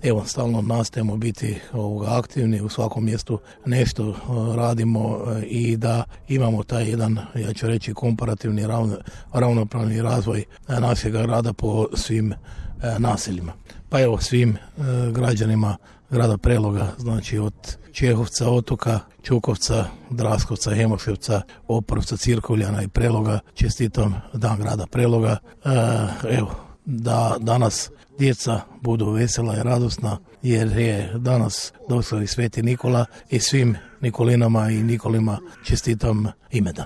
evo stalno nastojimo biti aktivni, u svakom mjestu nešto radimo i da imamo taj jedan, ja ću reći, komparativni ravnopravni razvoj našeg grada po svim naseljima. Pa evo svim građanima grada Preloga, znači od Čehovca, Otoka, Čukovca, Draskovca, Hemoševca, Oprovca, Cirkovljana i Preloga čestitam Dan grada Preloga. Evo, da danas djeca budu vesela i radosna jer je danas došao i Sveti Nikola i svim Nikolinama i Nikolima čestitam imendan.